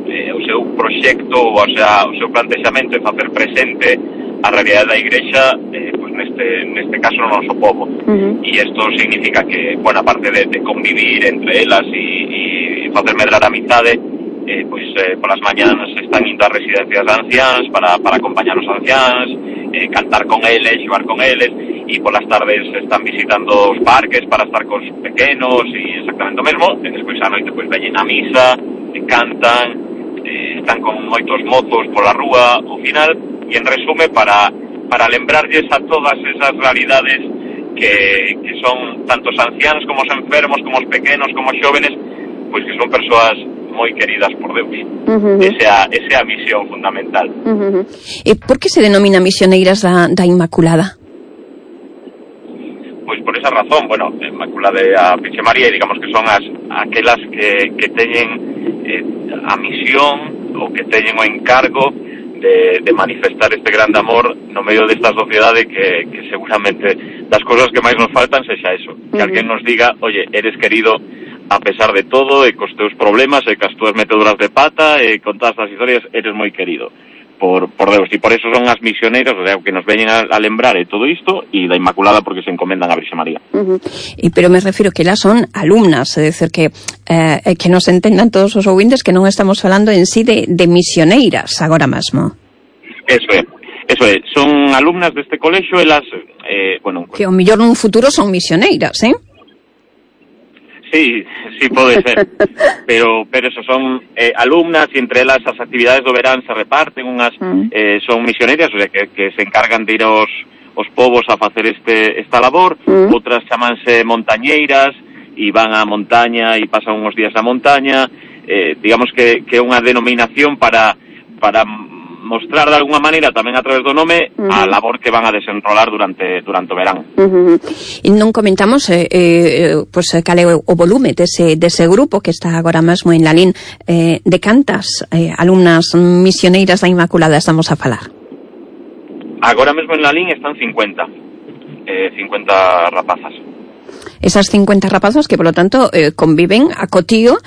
o seu proxecto, o sea, o seu plantexamento é facer presente a realidade da Igrexa, pues neste caso no noso povo. E isto significa que, bueno, aparte de convivir entre elas e facer medrar a amizade, pois polas mañanas están indo a residencias de anciáns para acompañar os anciáns, cantar con eles, xogar con eles, e polas tardes están visitando os parques para estar cos pequenos e exactamente o mesmo, e despois a noite pois veñen a misa, cantan, están con moitos mozos pola rúa ao final, e en resume para lembrarlles a todas esas realidades que son tanto os anciáns como os enfermos, como os pequenos, como os xóvenes, pois que son persoas moi queridas por Deus. Esa é a misión fundamental. E por que se denomina misioneiras da Inmaculada? Pois por esa razón, bueno, Inmaculada e a Virxe María, digamos que son aquelas que teñen a misión ou que teñen o encargo de manifestar este grande amor no medio desta sociedade que seguramente das cousas que máis nos faltan sexa eso, que alguén nos diga, oye, eres querido a pesar de todo, e cos teus problemas, e cas túas meteduras de pata, e con todas as historias, eres moi querido por Deus, e por eso son as misioneiras, o sea, que nos veñen a lembrar de todo isto, e da Inmaculada porque se encomendan a Virxe María. Pero me refiro que elas son alumnas, é dicir, que nos entendan todos os ouvintes que non estamos falando en sí de misioneiras agora mesmo. Eso é, son alumnas deste colexo, elas, bueno... Que ao mellor nun futuro son misioneiras, Sí, pode ser, pero eso, son alumnas, e entre elas as actividades do verán se reparten, unhas son misioneiras, o sea, que se encargan de ir aos povos a facer esta labor, outras chamanse montañeiras, e van á montaña e pasan uns días na montaña, digamos que é unha denominación para mostrar de alguna maneira tamén a través do nome a labor que van a desenrolar durante o verán. E non comentamos pois cal é o volume dese grupo que está agora mesmo en Lalín, de cantas alumnas misioneiras da Inmaculada estamos a falar? Agora mesmo en Lalín están 50 rapazas. Esas 50 rapazas que, polo tanto, conviven a cotío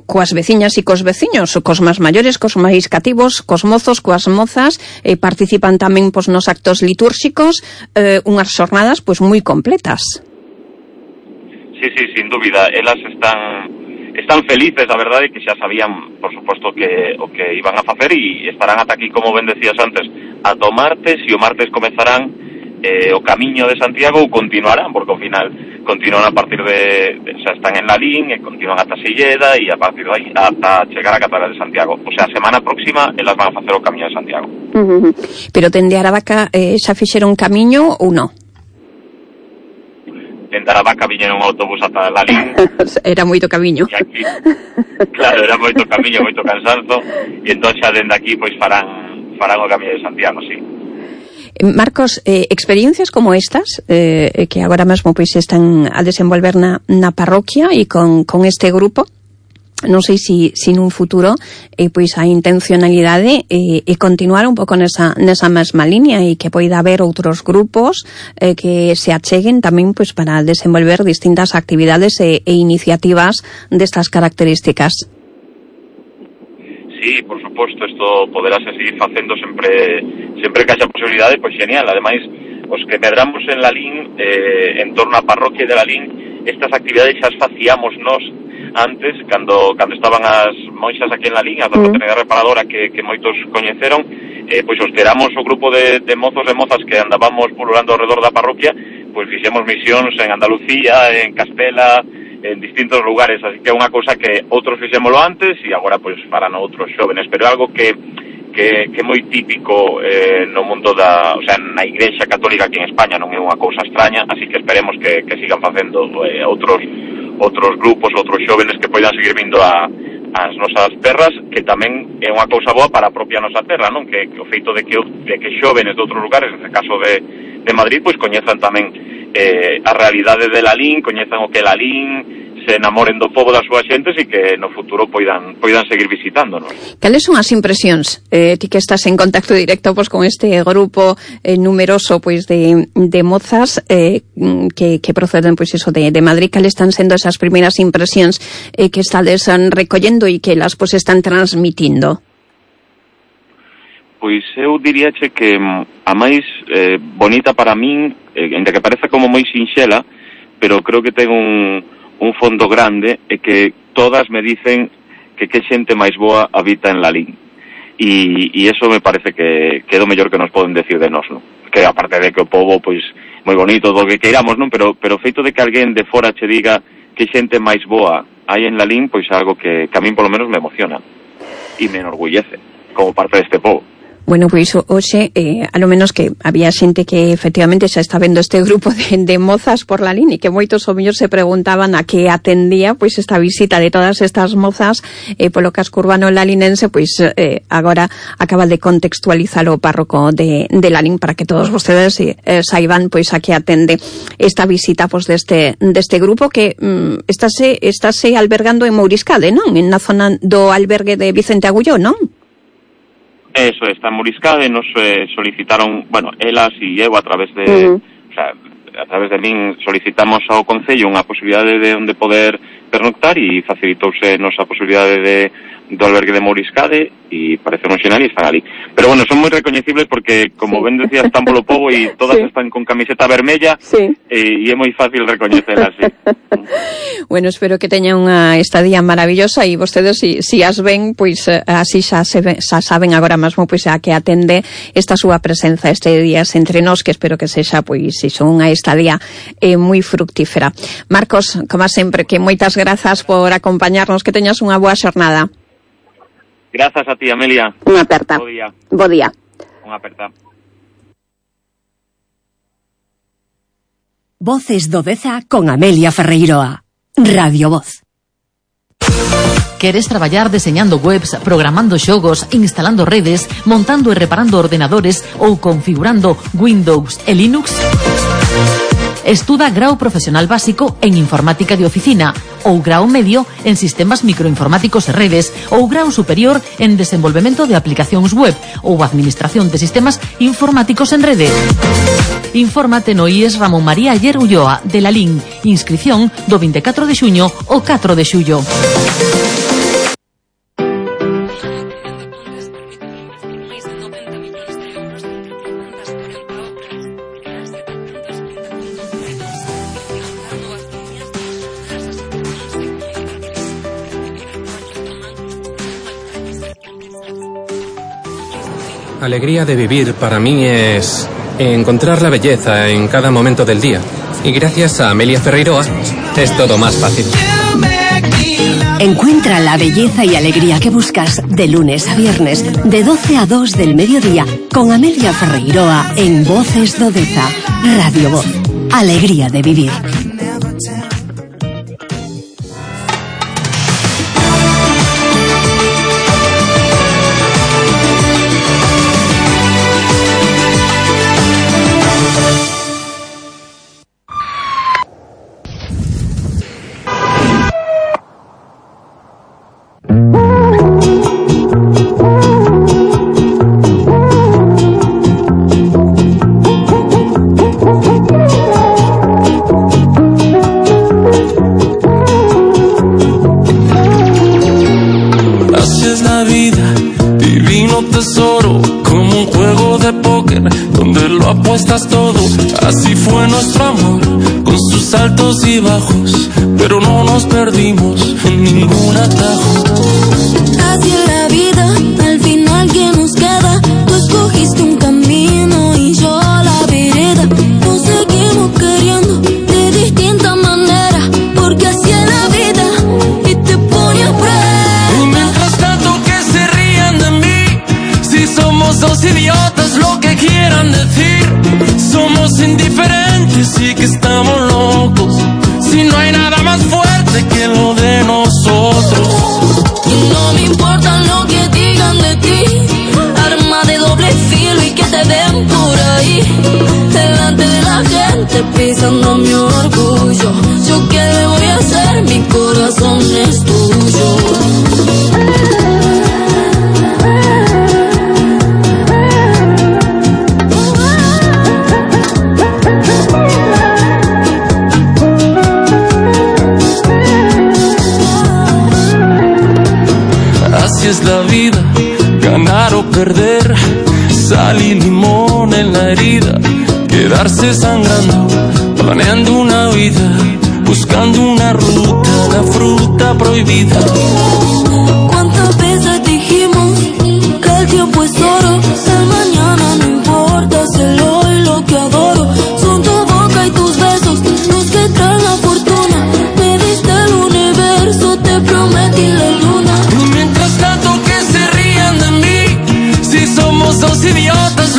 coas veciñas e cos veciños, cos máis maiores, cos máis cativos, cos mozos, coas mozas, participan tamén nos actos litúrxicos, unhas xornadas moi completas. Sí, sin dúbida, elas están felices, a verdade, que xa sabían, por suposto, o que iban a facer, e estarán ata aquí, como ben decías antes, ata o martes, e o martes comezarán o camiño de Santiago, ou continuarán, porque ao final continúan a partir xa están en Lalín, e continúan ata Silleda, e a partir de aí ata chegar a Catedral de Santiago. O sea, a semana próxima elas van a facer o camiño de Santiago. Pero dende Aravaca xa fixeron camiño ou non? Dende Aravaca viñeron un autobús ata Lalín. Era moito camiño. Aquí, claro, era moito camiño, moito cansanzo, e entón xa dende aquí farán o camiño de Santiago, sí. Marcos, experiencias como estas que agora mesmo están a desenvolver na parroquia e con este grupo, non sei se nun futuro a intencionalidade é continuar un pouco nesa mesma línea, e que poida haber outros grupos que se acheguen tamén para desenvolver distintas actividades e iniciativas destas características. Sí, por suposto, isto poderase seguir facendo sempre que haxa posibilidade, pois genial. Ademais, os que medramos en Lalín, en torno á parroquia de Lalín, estas actividades xa as facíamos nós antes, cando estaban as monxas aquí en Lalín, a da fraternidade reparadora que moitos coñeceron, pois os que éramos o grupo de mozos e mozas que andábamos pululando ao redor da parroquia, pois fixemos misións en Andalucía, en Castela, en distintos lugares, así que é unha cousa que outros fixémolo antes e agora pois farán outros xóvenes, pero é algo que é moi típico no mundo o sea, na Igrexa Católica aquí en España, non é unha cousa extraña, así que esperemos que sigan facendo outros grupos, outros xóvenes que poidan seguir vindo as nosas terras, que tamén é unha cousa boa para a propia nosa terra, non? Que o feito de que xóvenes de outros lugares, neste caso de Madrid, pois coñezan tamén a realidade de Lalín, coñezan o que é Lalín, se enamoren do pobo das súas xentes e que no futuro poidan seguir visitándonos. Cales son as impresións, ti que estás en contacto directo pois con este grupo numeroso pois de mozas que proceden pois iso de Madrid? Cales están sendo esas primeiras impresións que estades recollendo e que las pois están transmitindo? Pois eu diríache que a máis bonita para min, ainda que pareza como moi sinxela, pero creo que ten un fondo grande, e que todas me dicen que xente máis boa habita en Lalín. E eso me parece que é do mellor que nos poden decir de nós, non? Que aparte de que o pobo, pois, moi bonito, do que queiramos, non? Pero o feito de que alguén de fora che diga que xente máis boa hai en Lalín, pois é algo que a min polo menos me emociona e me enorgullece como parte deste pobo. Bueno, pois hoxe, a lo menos que había xente que efectivamente xa está vendo este grupo de mozas por Lalín e que moitos o mellor se preguntaban a que atendía pois esta visita de todas estas mozas polo casco urbano lalinense, pois agora acaba de contextualizar o párroco de Lalín para que todos vostedes saiban pois a que atende esta visita pois deste grupo que estáse albergando en Mouriscade, non? En na zona do albergue de Vicente Agulló, non? Eso, está en Mouriscade, nos solicitaron, bueno, elas e eu a través de, o sea, a través de min solicitamos ao Concello unha posibilidade de onde poder pernoctar e facilitouse nosa posibilidade do albergue de Mouriscade e parece un xenal e están ali. Pero bueno, son moi recoñecibles porque, como ben decía, están polo pobo e todas están con camiseta vermella e é moi fácil recoñecelas, sí. Bueno, espero que teñan unha estadía maravillosa e vostedes, si as ven, pois así xa saben agora mesmo pois a que atende esta súa presenza este días entre nós, que espero que sexa pois iso, unha estadía moi fructífera. Marcos, como sempre, que moitas grazas por acompañarnos, que teñas unha boa xornada. Grazas a ti, Amelia. Unha aperta. Bo día. Unha aperta. Voces do Deza con Amelia Ferreiroa. Radio Voz. Queres traballar deseñando webs, programando xogos, instalando redes, montando e reparando ordenadores ou configurando Windows e Linux? Estuda grao profesional básico en informática de oficina ou grao medio en sistemas microinformáticos e redes ou grao superior en desenvolvemento de aplicacións web ou administración de sistemas informáticos en rede. Infórmate no IES Ramón María Ayer Ulloa de Lalín. Inscripción do 24 de xuño ao 4 de xullo. Alegría de vivir para mí es encontrar la belleza en cada momento del día. Y gracias a Amelia Ferreiroa es todo más fácil. Encuentra la belleza y alegría que buscas de lunes a viernes, de 12 a 2 del mediodía, con Amelia Ferreiroa en Voces do Deza. Radio Voz. Alegría de vivir. Apuestas todo, así fue nuestro amor, con sus altos y bajos, pero no nos perdimos en ningún atajo. Así es la vida, al final que nos queda, tú escogiste un camino y yo la vereda, nos seguimos queriendo de distinta manera, porque así es la vida y te pone a prueba. Y mientras tanto que se rían de mí, si somos dos idiotas lo que quieran decir, somos indiferentes y que estamos locos, si no hay nada más fuerte que lo de nosotros. Y no me importa lo que digan de ti, arma de doble filo y que te ven por ahí, delante de la gente pisando mi orgullo. ¿Yo qué le voy a hacer? perder, mi corazón es tuyo. Así es la vida, ganar o perder, sal y limón en la herida, quedarse sangrando, planeando una vida, buscando una ruta, la fruta prohibida.